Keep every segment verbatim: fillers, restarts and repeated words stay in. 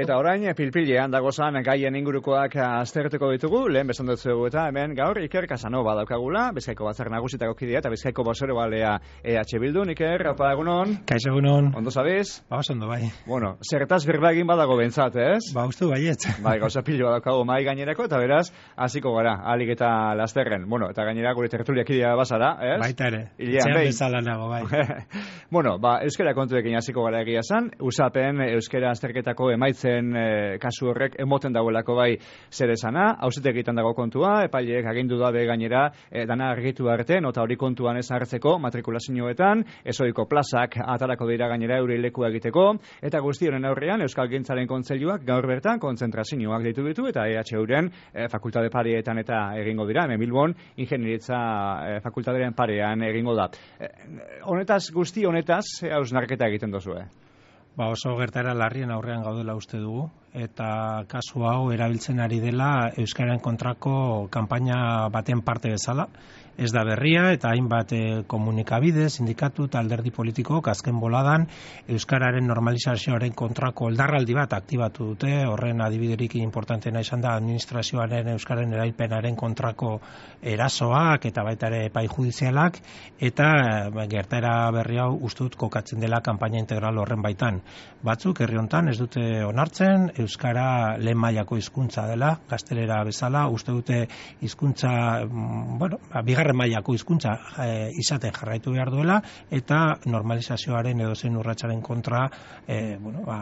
Eta orain, pilpilean dagozan gaien ingurukoak aztertuko ditugu, lehen besan dut zuegu eta hemen gaur Iker Casanova daukagula, Bizkaiko batzar nagusitako kidea eta Bizkaiko bozero balea E H Bildun. Iker, apa egunon? Kaixo egunon. Ondo zabiz? Ba, oso ondo bai. Bueno, zertaz berba egin badago bentsat, ez? Ba, uste baiet. Bai, gauza piloa daukagu mai gainerako eta beraz, hasiko gara, alik eta lasterren. Bueno, eta gainera gure tertulia kidea bazara, ez? Baita ere, etxean bezala nago, bai. Bueno, ba, euskara kontuekin hasiko gara egia zan, usapen euskara azterketako emaitzen e, kasu horrek emoten dagoelako bai zer esana, auzitegitan dago kontua, epaileek agindu dabe gainera e, dana argitu arte, nota hori kontuan ez hartzeko matrikulazioetan, ezoiko plazak atarako dira gainera eure lekua egiteko, eta guzti honen aurrean Euskal Gintzaren Kontseiluak gaur bertan kontzentrazioak ditu ditu eta E H Uren e, fakultate pareetan eta egingo dira, hemen Bilbon ingenieritza e, fakultateren parean egingo da. E, honetaz guzti honetaz hausnarketa egiten dozue. Ba, oso gertara larrien aurrean gaudela uste dugu, eta kasu hau erabiltzen ari dela euskararen kontrako kanpaina baten parte bezala. Ez da berria eta hainbat komunikabide, sindikatu eta alderdi politikok azken boladan euskararen normalizazioaren kontrako oldarraldi bat aktibatu dute. Horren adibiderik importanteena izan da administrazioaren euskararen erailpenaren kontrako erasoak eta baita ere epai judizialak, eta gertaera berri hau uste dut kokatzen dela kanpaina integral horren baitan. Batzuk herri hontan ez dute onartzen euskara lehen mailako hizkuntza dela, gaztelera bezala, uste dute hizkuntza, bueno, bigarren mailako hizkuntza e, izaten jarraitu behar duela, eta normalizazioaren edozein urratsaren kontra e, bueno, ba,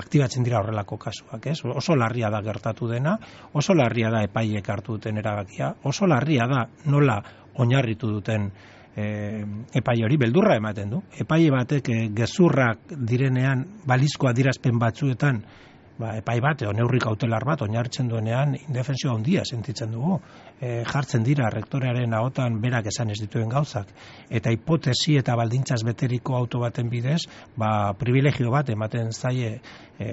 aktibatzen dira horrelako kasuak, ez? Oso larria da gertatu dena, oso larria da epaiek hartu duten erabakia, oso larria da nola oinarritu duten E, epai hori beldurra ematen du. Epaile batek e, gezurrak direnean balizko adierazpen batzuetan, ba, epai bat, o neurri kautelar bat oinarritzen duenean indefensio handia sentitzen dugu. E, jartzen dira rektorearen ahotan berak esan ez dituen gauzak, eta hipotesi eta baldintzaz beteriko auto baten bidez, ba, privilegio bat ematen zaie e,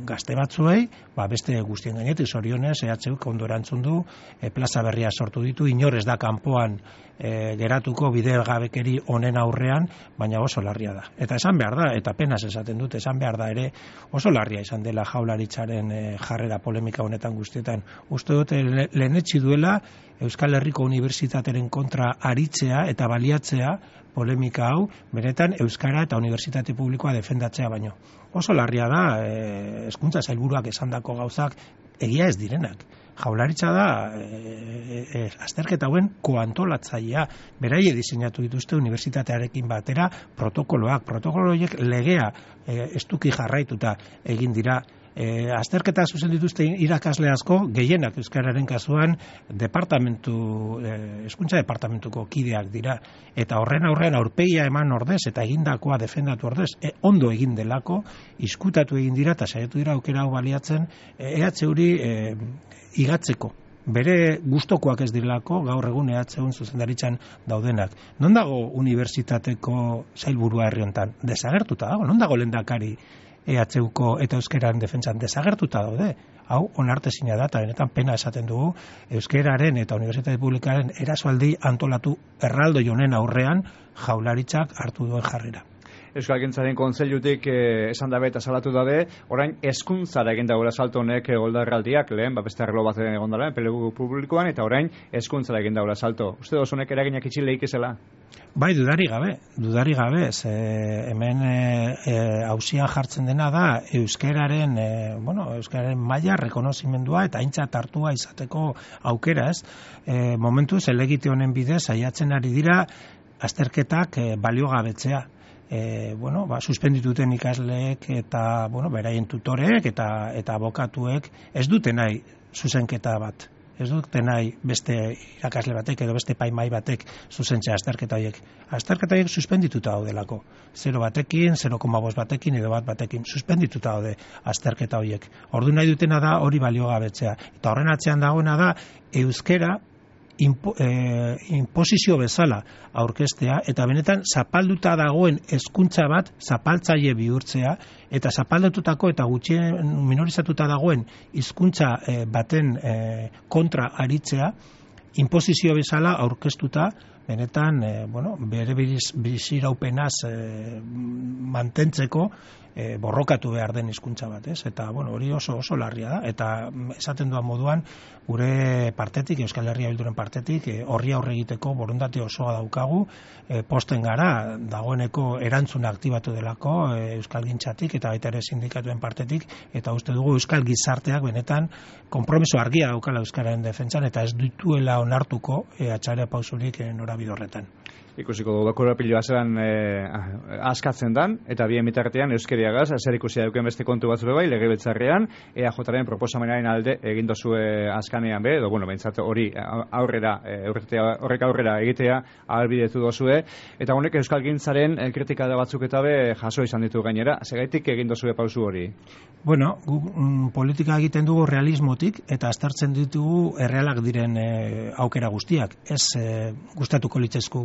gazte batzuei, ba, beste guztien gainetik zorionez, E H Uk ondo erantzun du, e, plaza berria sortu ditu, inor ez da kanpoan e, geratuko bidegabekeri honen aurrean, baina oso larria da. Eta esan behar da, eta penas esaten dut, esan behar da ere, oso larria izan dela Jaurlaritzaren e, jarrera polemika honetan guztietan. Uste dute le, lehenetsi duela Euskal Herriko Unibertsitateren kontra aritzea eta baliatzea polemika hau, benetan euskara eta unibertsitate publikoa defendatzea baino. Oso larria da, e, hezkuntza sailburuak esandako gauzak egia ez direnak. Jaurlaritza da e, e, azterketa hauen koantolatzailea, beraie diseinatu dituzte unibertsitatearekin batera protokoloak, protokolo horiek legea e, estuki jarraituta egin dira. E, azterketa zuzen dituzte irakasle asko, gehienak euskararen kasuan departamentu, e, hezkuntza departamentuko kideak dira, eta horren aurrean aurpegia eman ordez eta egindakoa defendatu ordez, e, ondo egin delako, izkutatu egin dira eta saiatu dira aukera hau baliatzen E H Uri e, igatzeko. Bere gustokoak ez direlako gaur egun E H Un zuzendaritzan daudenak. Non dago unibertsitateko sailburua herri hontan? Desagertuta dago. Non dago lehendakari E H Uko eta euskararen defentsan? Desagertuta daude. Hau onartezina da eta benetan pena esaten dugu euskararen eta unibertsitate publikaren erasoaldi antolatu erraldoi honen aurrean Jaurlaritzak hartu duen jarrera. Euskal Gintzaren Kontseilutik eh, esan dabe eta salatu dabe, orain hezkuntzara egin dagoela salto honek goldarraldiak, lehen, ba, beste arlo bat egon dara, enplegu publikoan, eta orain hezkuntzara egin dagoela salto. Uste dozu honek eraginak itxile ikizela? Bai, dudari gabe, dudari gabe, ze hemen hausian e, e, jartzen dena da euskararen, e, bueno, euskararen maila rekonozimendua eta aintzat hartua izateko aukera, ez? E, momentuz, elegite honen bidez, saiatzen ari dira azterketak e, baliogabetzea. E, bueno, ba, suspendituten ikasleek eta bueno, beraien tutoreek eta eta abokatuek ez dute nahi zuzenketa bat. Ez dute nahi beste irakasle batek edo beste epaimahai batek zuzentzea azterketa horiek. Azterketa horiek suspendituta daudelako. Zero batekin, zero koma bost batekin edo bat batekin suspendituta daude azterketa horiek. Ordu nahi dutena da hori baliogabetzea. Eta horren atzean dagoena da euskera Impo, eh, imposizio bezala aurkeztea eta benetan zapalduta dagoen hezkuntza bat zapaltzaile bihurtzea eta zapaldutako eta gutxien minorizatuta dagoen hizkuntza eh, baten eh, kontra aritzea imposizio bezala aurkeztuta benetan eh, bueno, bere biziraupenaz eh, mantentzeko e, borrokatu behar den hizkuntza bat, ez? Eta, bueno, hori oso oso larria da, eta esaten duan moduan, gure partetik, Euskal Herria Bilduren partetik, e, horri aurre egiteko borondate osoa daukagu, e, posten gara, dagoeneko erantzuna aktibatu delako, e, Euskal Gintzatik, eta baita ere sindikatuen partetik, eta uste dugu Euskal Gizarteak benetan konpromiso argia daukala Euskararen defentsan, eta ez dituela onartuko e, atxarea pausurik e, norabide horretan. Ikusiko dugu korapiloa zelan e, askatzen dan, eta bien bitartean euskeriagaz, zer ikusia duken beste kontu batzu bai, legebiltzarrean, E A Jaren proposamenaren alde egin dozue askanean be, edo, bueno, behintzat hori aurrera, e, horrek aurrera egitea ahalbidetu dozue, eta honek Euskal Gintzaren kritika da batzuk eta be jaso izan ditu gainera, segaitik egin dozue pausu hori? Bueno, gu, mm, politika egiten dugu realismotik, eta aztertzen ditugu errealak diren e, aukera guztiak, ez e, gustatuko litzezku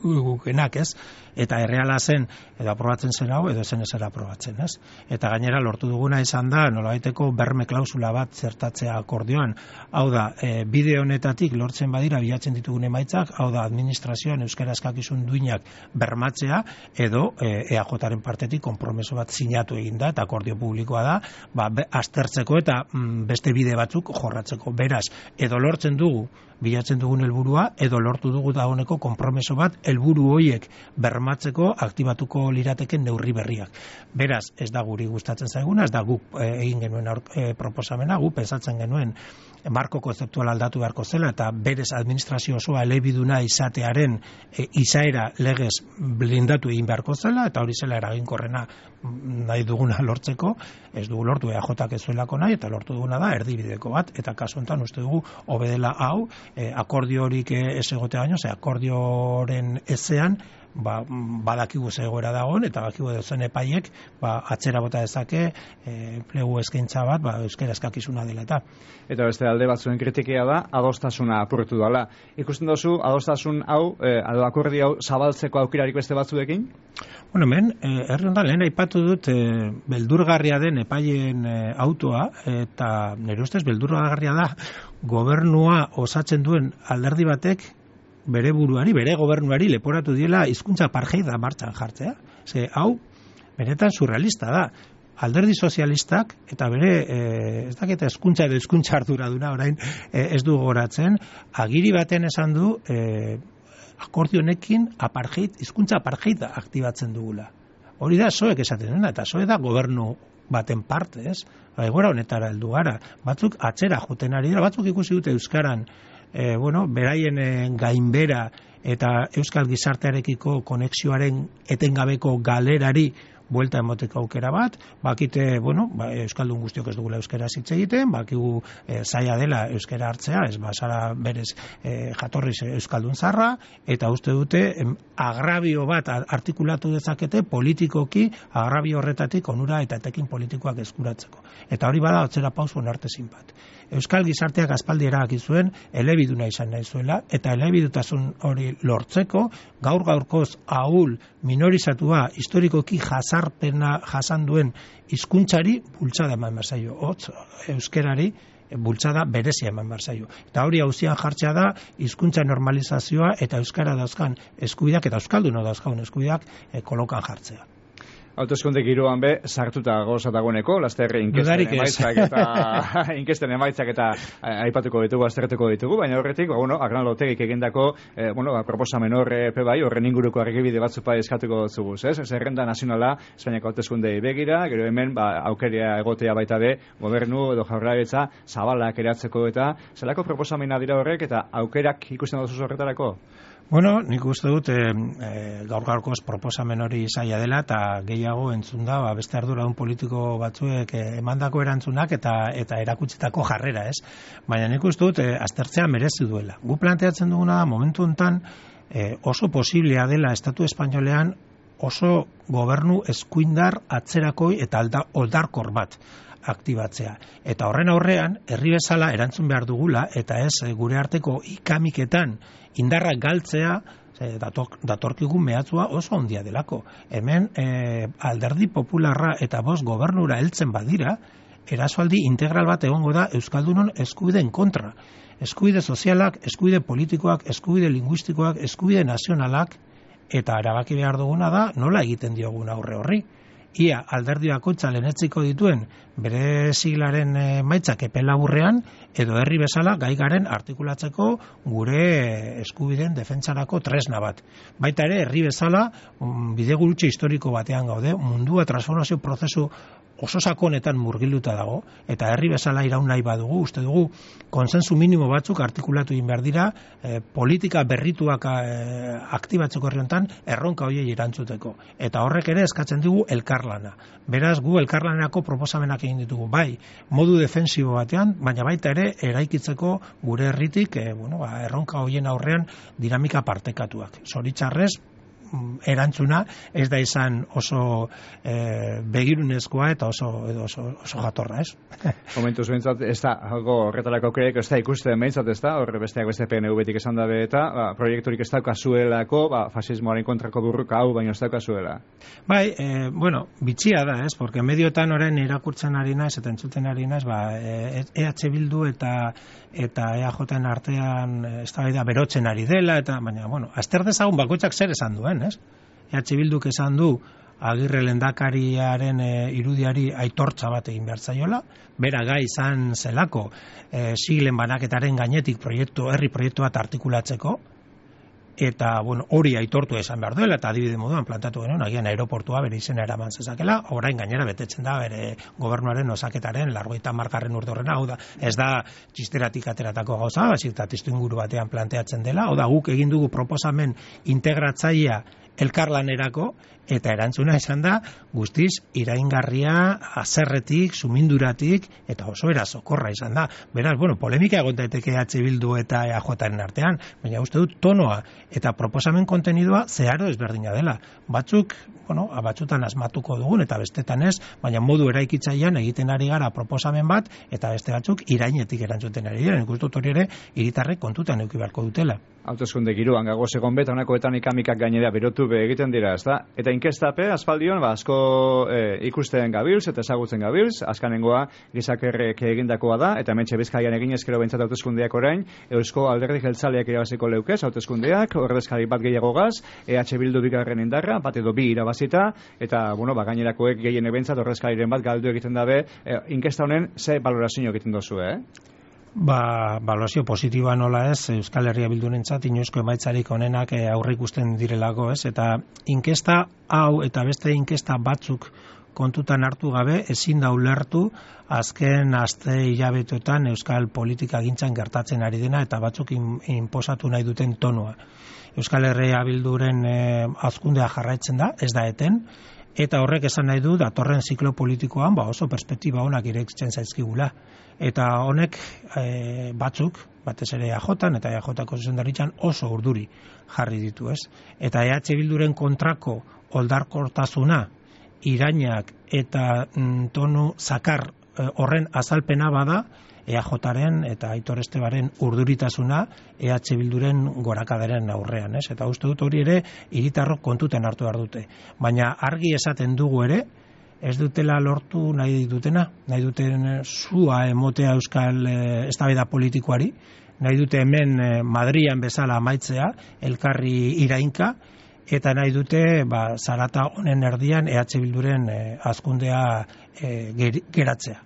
gukenak, ez? Eta erreala zen, edo aprobatzen zen hau, edo zen ezera aprobatzen, ez? Eta gainera lortu duguna izan da, nolabaiteko berme klausula bat zertatzea akordioan. Hau da, e, bide honetatik lortzen badira bilatzen ditugun emaitzak, hau da, administrazioan euskara eskakizun duinak bermatzea, edo e, E A Jaren partetik konpromeso bat sinatu eginda, eta akordio publikoa da, ba, be, aztertzeko eta mm, beste bide batzuk jorratzeko. Beraz, edo lortzen dugu bilatzen dugun helburua, edo lortu dugu dagoeneko konpromeso bat helburu horiek bermatzeko aktibatuko lirateken neurri berriak. Beraz, ez da guri gustatzen zaiguna, ez da guk e, egin genuen aur, e, proposamena, guk pensatzen genuen marko konzeptual aldatu beharko zela, eta berez administrazio osoa elebiduna izatearen e, izaera legez blindatu egin beharko zela, eta hori zela eraginkorrena nahi duguna lortzeko, ez dugu lortu E A Jak ez zuelako nahi, eta lortu duguna da erdibideko bat, eta kasu honetan uste dugu hobedela hau, e, akordio horik ez egotea baino, ze akordioren ezean, ba, badakigu zegoera dagoen, eta badakigu dozen epaiek ba, atzera bota dezake e, plegu eskaintza bat, ba, euskara eskakizuna dela eta. Eta beste alde batzuen kritikea da, adostasuna apurtu dela. Ikusten dozu, adostasun hau, e, akordio hau zabaltzeko aukerarik beste batzuekin? Bueno, hemen, e, herri hondan lehen aipatu dut e, beldurgarria den epaien e, autoa, eta nire ustez beldurgarria da gobernua osatzen duen alderdi batek bere buruari, bere gobernuari leporatu diela hizkuntza parjeida martxan jartzea. Ze, hau, benetan surrealista da. Alderdi sozialistak, eta bere, e, ez daketa hizkuntza edo hizkuntza arduraduna orain e, ez du goratzen, agiri baten esan du e, akordionekin apartheid, hizkuntza apartheida aktibatzen dugula. Hori da soek esaten dena, eta soe da gobernu baten parte, ez? Egoera honetara heldu gara. Batzuk atzera joten ari dira, batzuk ikusi dute euskaran E, bueno, beraien e, gainbera eta euskal gizartearekiko konexioaren etengabeko galerari buelta emoteko aukera bat, bakite, bueno, ba, euskaldun guztiok ez dugula euskera hitz egiten, bakigu e, zaila dela euskara hartzea, ez basara berez e, jatorriz euskaldun zarra, eta uste dute em, agrabio bat artikulatu dezakete politikoki agrabio horretatik onura eta etekin politikoak eskuratzeko. Eta hori bada atzera pauso onartezin bat. Euskal gizarteak aspaldi erabaki zuen elebiduna izan nahi zuela, eta elebidutasun hori lortzeko gaur gaurkoz ahul minorizatua historikoki jasarpena jasan duen hizkuntzari bultzada eman behar zaio. Hotz, euskerari bultzada berezia eman behar zaio. Eta hori auzian jartzea da hizkuntza normalizazioa eta euskara dauzkan eskubideak eta euskalduna dauzkan eskubideak e, kolokan jartzea. Hauteskunde giroan be, sartuta goza dagoeneko, lasterre inkesten emaitzak eta inkesten emaitzak eta aipatuko ditugu, aztertuko ditugu, baina horretik, bueno, Agnaldo Otegik egindako, eh, bueno, proposamen horre pe bai, horren inguruko argibide batzupa eskatuko dutzugu, ez? Zerrenda nazionala, Espainiako hauteskundei begira, gero hemen, ba, aukeria egotea baita be, gobernu edo jaurlaritza zabalak eratzeko eta, zelako proposamena dira horrek eta aukerak ikusten dut horretarako? Bueno, nik uste dut e, gaur gaurkoz proposamen hori zaila dela eta gehiago entzun da ba, beste arduradun politiko batzuek e, emandako erantzunak eta eta erakutsitako jarrera, ez? Baina nik uste dut e, aztertzea merezi duela. Gu planteatzen duguna momentu honetan e, oso posiblea dela Estatu Espainolean oso gobernu eskuindar atzerakoi eta alda, oldarkor bat aktibatzea. Eta horren aurrean, herri bezala erantzun behar dugula, eta ez gure arteko ikamiketan indarrak galtzea, dator, datorkigun mehatzua oso handia delako. Hemen e, alderdi popularra eta bost gobernura heltzen badira, erasoaldi integral bat egongo da Euskaldunon eskubideen kontra. Eskubide sozialak, eskubide politikoak, eskubide linguistikoak, eskubide nazionalak, eta erabaki behar duguna da nola egiten diogun aurre horri. ia alderdi bakoitza lehenetziko dituen bere siglaren emaitzak epe laburrean, edo herri bezala gai garen artikulatzeko gure eskubideen defentsarako tresna bat. Baita ere, herri bezala bidegurutze historiko batean gaude, mundua transformazio prozesu oso sakonetan murgilduta dago, eta herri bezala iraun nahi badugu, uste dugu konsensu minimo batzuk artikulatu egin behar dira, eh, politika berrituak eh, aktibatzeko herri honetan erronka horiei erantzuteko. Eta horrek ere eskatzen digu elkarlana. Beraz, gu elkarlanerako proposamenak egin ditugu, bai, modu defensibo batean, baina baita ere eraikitzeko gure herritik eh, bueno, ba, erronka horien aurrean dinamika partekatuak. Zoritxarrez, erantzuna ez da izan oso e, begirunezkoa eta oso, oso, oso jatorra, ez? Momentuz behintzat, ez da, algo horretarako kreek ez da ikusten behintzat, ez da, horre besteak beste P N V-tik esan dabe eta ba, proiekturik ez daukazuelako, ba, fasismoaren kontrako burruka hau, baina ez daukazuela. Bai, e, bueno, bitxia da, ez? Porque medioetan orain irakurtzen ari naiz eta entzuten ari naiz, ba, E H Bildu eta eta E A J-en artean eztabaida berotzen ari dela, eta baina, bueno, azter dezagun bakoitzak zer esan duen, ez? E H Bilduk esan du Agirre lehendakariaren e, irudiari aitortza bat egin behar zaiola, bera gai izan zelako e, siglen banaketaren gainetik proiektu, herri proiektu bat artikulatzeko, eta bueno, hori aitortu esan behar duela, eta adibide moduan plantatu genuen, agian aeroportua bere izena eraman zezakela, orain gainera betetzen da bere gobernuaren osaketaren largoita markarren urte horrena, hau da, ez da txisteratik ateratako gauza, baizik eta testuinguru batean planteatzen dela, hau da, guk egin dugu proposamen integratzailea elkarlanerako, eta erantzuna izan da guztiz iraingarria, azerretik, suminduratik, eta oso erasokorra izan da. Beraz, bueno, polemika egon daiteke E H Bildu eta E A Jaren artean, baina uste dut tonoa eta proposamen kontenidua zeharo ezberdina dela. Batzuk, bueno, batzutan asmatuko dugun eta bestetan ez, baina modu eraikitzailean egiten ari gara proposamen bat, eta beste batzuk irainetik erantzuten ari dira. Nik uste dut hori ere hiritarrek kontutan eduki beharko dutela. Hauteskunde giroan gagoz egon bet, honakoetan ikamikak gainera berotu be egiten dira, ezta? Eta inkestape, aspaldion, ba, asko e, ikusten gabilz eta ezagutzen gabilz, azkanengoa gizakerrek egindakoa da, eta hementxe Bizkaian egin ezkero behintzat hauteskundeak orain, Eusko Alderdi Jeltzaleak irabaziko leukez, hauteskundeak, ordezkari bat gehiagogaz, E H Bildu bigarren indarra, bat edo bi irabazita, eta, bueno, ba, gainerakoek gehien behintzat ordezkariren bat galdu egiten dabe, e, inkesta honen ze balorazio egiten dozu, eh? Ba, balorazio positiboa nola ez, Euskal Herria Bildurentzat inoizko emaitzarik onenak aurre ikusten direlako, ez? Eta inkesta hau eta beste inkesta batzuk kontutan hartu gabe ezin da ulertu azken aste hilabeteotan Euskal politika gintzan gertatzen ari dena eta batzuk inposatu nahi duten tonua. Euskal Herria Bilduren eh, hazkundea jarraitzen da, ez da eten, eta horrek esan nahi du datorren ziklo politikoan ba oso perspektiba onak irekitzen zaizkigula. Eta honek e, batzuk, batez ere E A Jan eta E A Jko zuzendaritzan oso urduri jarri ditu, ez? Eta E H Bilduren kontrako oldarkortasuna, irainak eta mm, tonu zakar e, horren azalpena bada, E A Jaren eta Aitor Estebaren urduritasuna E H Bilduren gorakadaren aurrean, ez? Eta uste dut hori ere hiritarrok kontutan hartu behar dute. Baina argi esaten dugu ere, ez dutela lortu nahi dutena, nahi duten zua emotea euskal e, eztabaida politikoari, nahi dute hemen e, Madrian bezala amaitzea, elkarri irainka, eta nahi dute ba, zarata honen erdian E H Bilduren e, hazkundea e, ger, geratzea.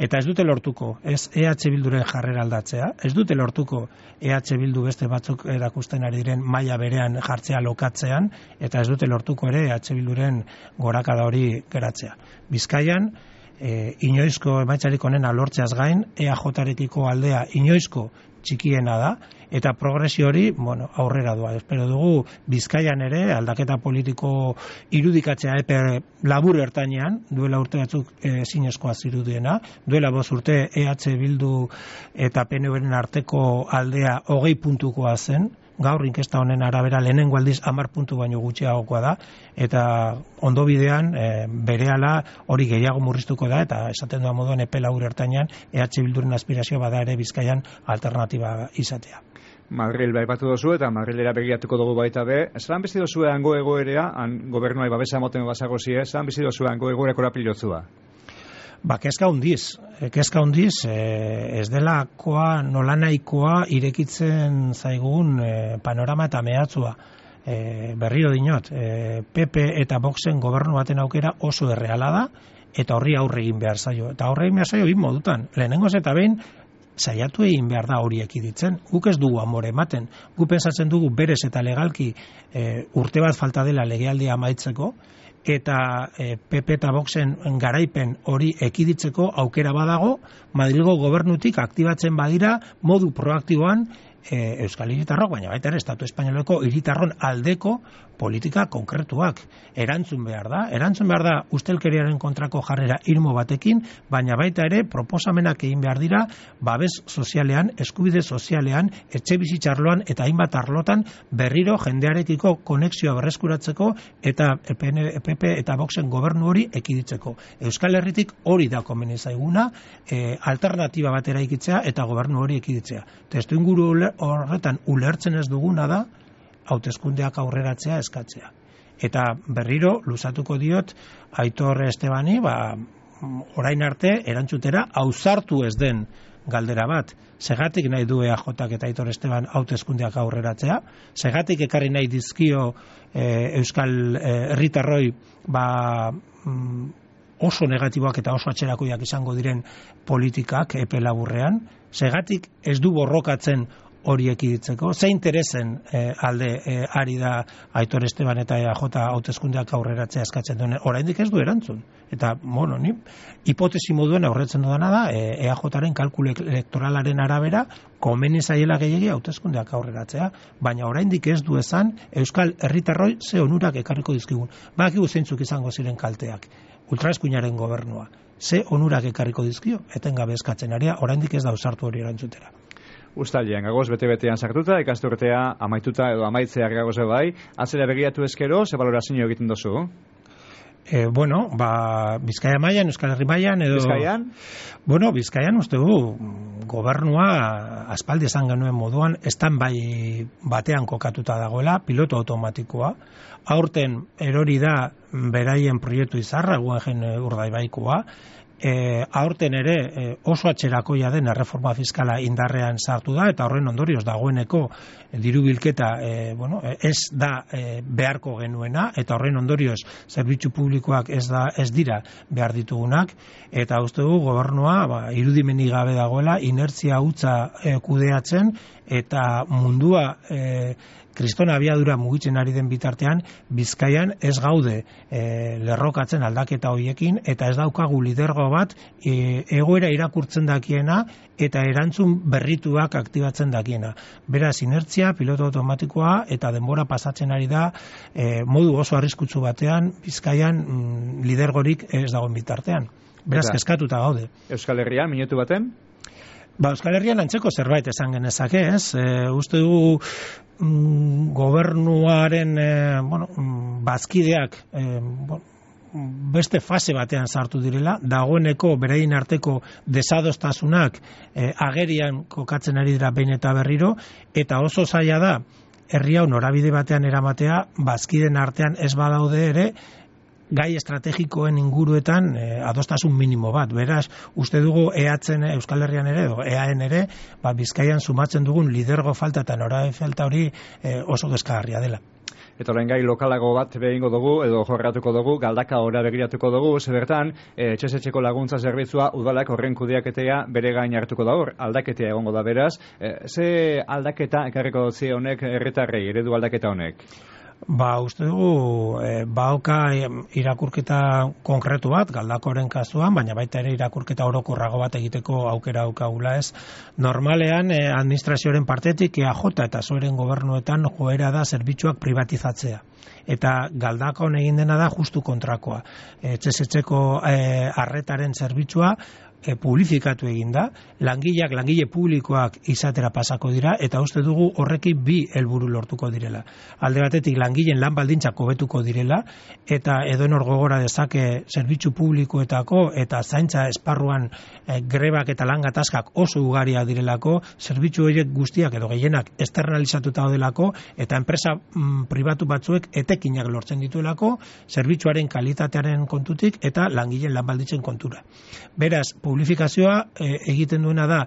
Eta ez dute lortuko, ez E H Bilduren jarrera aldatzea, ez dute lortuko E H Bildu beste batzuk erakusten ari diren maila berean jartzea lokatzean, eta ez dute lortuko ere E H Bilduren gorakada hori geratzea. Bizkaian, e, inoizko emaitzarik onena lortzeaz gain, E A Jarekiko aldea inoizko txikiena da, eta progresio hori, bueno, aurrera doa. Espero dugu Bizkaian ere aldaketa politiko irudikatzea epe labur ertainean, duela urte batzuk ezinezkoa zirudiena, duela bost urte E H Bildu eta P N V-ren arteko aldea hogei puntukoa zen, gaur inkesta honen arabera lehenengo aldiz hamar puntu baino gutxiagokoa da, eta ondo bidean e, berehala hori gehiago murriztuko da, eta esaten doa moduan epe labur ertainean E H Bilduren aspirazioa bada ere Bizkaian alternatiba izatea. Madril baipatu dozu eta Madrilera begiratuko dugu baita be. Zelan bizi dozu hango egoerea, han gobernuai babesa emoten bazagozie, zelan bizi dozu hango egoera korapilotzua? Ba, kezka hundiz, kezka hundiz, e, ez delakoa nolanahikoa irekitzen zaigun e, panorama eta mehatzua. e, berriro dinot, e, P P eta Voxen gobernu baten aukera oso erreala da, eta horri aurre egin behar zaio. Eta aurre egin behar zaio, bin modutan. Lehenengoz eta behin, saiatu egin behar da hori ekiditzen. Guk ez dugu amore ematen. Guk pensatzen dugu berez eta legalki e, urte bat falta dela legealdia amaitzeko, eta e, P P eta Voxen garaipen hori ekiditzeko aukera badago, Madrilgo gobernutik aktibatzen badira modu proaktiboan e, Euskal Hiritarrok, baina baita ere Estatu Espainoleko hiritarron aldeko politika konkretuak erantzun behar da. Erantzun behar da ustelkeriaren kontrako jarrera irmo batekin, baina baita ere proposamenak egin behar dira babes sozialean, eskubide sozialean, etxe bizitzarloan eta hainbat arlotan berriro jendearekiko konexioa berreskuratzeko eta P P eta Voxen gobernu hori ekiditzeko. Euskal Herritik hori da komeni zaiguna, e, alternatiba batera ikitzea eta gobernu hori ekiditzea. Testuinguru horretan ulertzen ez duguna da hauteskundeak aurreratzea eskatzea. Eta berriro luzatuko diot Aitor Estebani, ba, orain arte erantzutera ausartu ez den galdera bat. Segatik nahi du E A Jak eta Aitor Esteban hauteskundeak aurreratzea? Segatik ekarri nahi dizkio e, Euskal herritarroi ba, mm, oso negatiboak eta oso atzerakoiak izango diren politikak epe laburrean? Segatik ez du borrokatzen hori ekiditzeko? Ze interesen eh, alde eh, ari da Aitor Esteban eta E A J hauteskundeak aurreratzea eskatzen duen? Oraindik ez du erantzun. Eta, bueno, ni hipotesi moduen aurretzen dudana da E A Jaren kalkulu elektoralaren arabera komeni zaiela gehiegi hauteskundeak aurreratzea, baina oraindik ez du esan Euskal herritarroi ze onurak ekarriko dizkigun. Badakigu zeintzuk izango ziren kalteak. Ultraeskuinaren gobernua. Ze onurak ekarriko dizkio? Etengabe eskatzen aria, oraindik ez da ausartu hori erantzutera. Uztailean, gagoz bete-betean sartuta, ikasturtea amaituta edo amaitzea gagoz bai, atzera begiratu ezkero, ze balorazio egiten dozu? E, bueno, ba, Bizkaia mailan, Euskal Herri mailan, edo... Bizkaian? Bueno, Bizkaian, uste du, gobernua aspaldi esan genuen moduan, estan bai batean kokatuta dagoela, piloto automatikoa, aurten erori da beraien proiektu izarra, guen urdaibaikoa, E, aurten ere e, oso atzerakoia den erreforma fiskala indarrean sartu da eta horren ondorioz dagoeneko e, diru bilketa e, bueno, ez da e, beharko genuena eta horren ondorioz zerbitzu publikoak ez da ez dira behar ditugunak eta uste dugu gobernua ba, irudimenik gabe dagoela inertzia hutsa e, kudeatzen eta mundua e, kristona abiadura mugitzen ari den bitartean, Bizkaian ez gaude e, lerrokatzen aldaketa hoiekin, eta ez daukagu lidergo bat e, egoera irakurtzen dakiena eta erantzun berrituak aktibatzen dakiena. Beraz, inertzia, piloto automatikoa eta denbora pasatzen ari da e, modu oso arriskutsu batean, Bizkaian mm, lidergorik ez dagoen bitartean. Beraz, kezkatuta gaude. Euskal Herrian, minutu baten? Ba, Euskal Herrian antzeko zerbait esan genezake, ez? E, uste dugu mm, gobernuaren e, bueno, bazkideak e, bueno, beste fase batean sartu direla, dagoeneko beraien arteko desadostasunak e, agerian kokatzen ari dira behin eta berriro, eta oso zaila da herri hau norabide batean eramatea, bazkiden artean ez badaude ere, gai estrategikoen inguruetan eh, adostasun minimo bat. Beraz, uste dugu eatzen Euskal Herrian ere, edo eaen ere, ba, Bizkaian sumatzen dugun lidergo falta eta norabide falta hori eh, oso deskargarria dela. Eta orain gai lokalago bat behingo dugu, edo jorratuko dugu, galdaka ora begiratuko dugu, zebertan, e, etxezetxeko laguntza zerbitzua udalak horren kudeaketea bere gain hartuko da hor, aldaketea egongo da beraz. E, ze aldaketa ekarriko dutzi honek herritarrei, eredu aldaketa honek? Ba, uste dugu, e, bauka irakurketa konkretu bat, galdakoren kasuan, baina baita ere irakurketa orokorrago bat egiteko aukera aukagula ez. Normalean, e, administrazioaren partetik E A J eta zoeren gobernuetan joera da zerbitzuak privatizatzea. Eta galdakon egin dena da justu kontrakoa. Etxezetxeko e, arretaren zerbitzua E, publifikatu egin da, langileak, langile publikoak izatera pasako dira, eta uste dugu horrekin bi helburu lortuko direla. Alde batetik langileen lan baldintzak hobetuko direla, eta edonor gogora dezake zerbitzu publikoetako eta zaintza esparruan e, grebak eta lan gatazkak oso ugaria direlako, zerbitzu horiek guztiak edo gehienak externalizatuta delako, eta enpresa mm, pribatu batzuek etekinak lortzen dituelako, zerbitzuaren kalitatearen kontutik eta langileen lan baldintzen kontura. Beraz, publifikazioa e, egiten duena da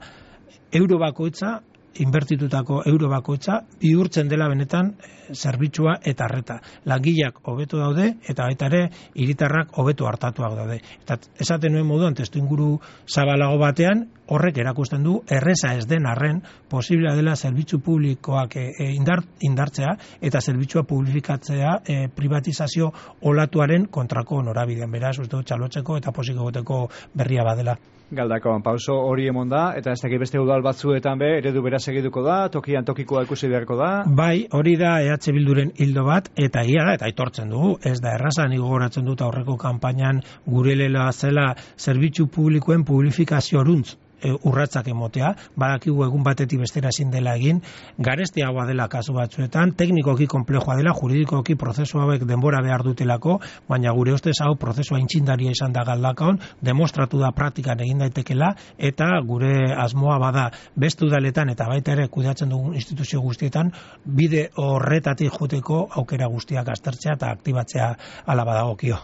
euro bakoitza inbertitutako euro bakoitza bihurtzen dela benetan zerbitzua eta arreta. Langileak hobeto daude eta baita ere hiritarrak hobeto hartatuak daude. Eta esaten nuen moduan testuinguru zabalago batean horrek erakusten du erreza ez den arren posiblea dela zerbitzu publikoak e, indar, indartzea eta zerbitzua publifikatzea e, privatizazio olatuaren kontrako norabidean. Beraz, uste dut txalotzeko eta posik egoteko berria badela. Galdakon, pauso hori emon da, eta ez dakit beste udal batzuetan be, eredu bera segituko da, tokian tokikoa ikusi beharko da? Bai, hori da E H Bilduren hildo bat, eta ia da, eta aitortzen dugu, ez da erraza, nik gogoratzen dut aurreko kanpainan gure lela zela zerbitzu publikoen publifikazio oruntz urratzak emotea, badakigu egun batetik bestera ezin dela egin, garestiagoa dela kasu batzuetan, teknikoki konplejoa dela, juridikoki prozesu hauek denbora behar dutelako, baina gure ustez hau prozesua intxindaria izan da Galdakaon, demostratu da praktikan egin daitekela, eta gure asmoa bada beste udaletan eta baita ere kudeatzen dugun instituzio guztietan, bide horretatik joteko aukera guztiak aztertzea eta aktibatzea ala badagokio.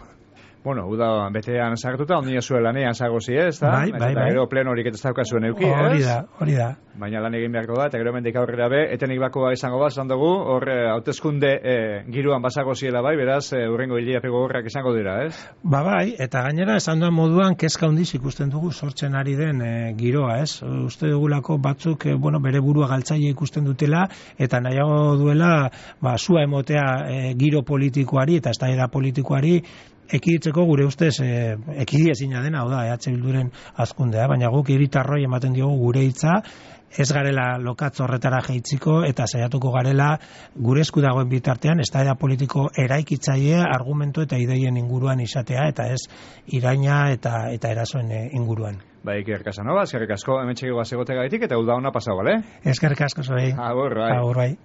Bueno, uda betean sartuta, ondia zuen lanean zagozi ez, da? Bai, bai, bai. Gero pleno horik ez daukazuen euki, ez? Hori da, hori da. Baina lan egin beharko da, eta gero mendik aurrera be, etenik bakoa izango bat, zan dugu, hor hauteskunde e, giroan bazagoziela bai, beraz, e, urrengo hilapeko gorrak izango dira, ez? Ba bai, eta gainera esan duan moduan, kezka handiz ikusten dugu sortzen ari den e, giroa, ez? Uste dugulako batzuk, e, bueno, bere burua galtzaile ikusten dutela, eta nahiago duela, ba, sua emotea e, giro politikoari, eta eztabaida politikoari, ekiditzeko gure ustez e, ekidiezina dena, hau da, E H Bilduren hazkundea, baina guk hiritarroi ematen diogu gure hitza, ez garela lokatz horretara jeitziko eta saiatuko garela gure esku dagoen bitartean eztabaida politiko eraikitzailea argumentu eta ideien inguruan izatea eta ez iraina eta eta erasoen inguruan. Bai, Iker Casanova, eskerrik asko hemen txegigoa zegotegaitik eta uda ona pasau, bale? Eskerrik asko zuei. Agur, bai. Agur, bai.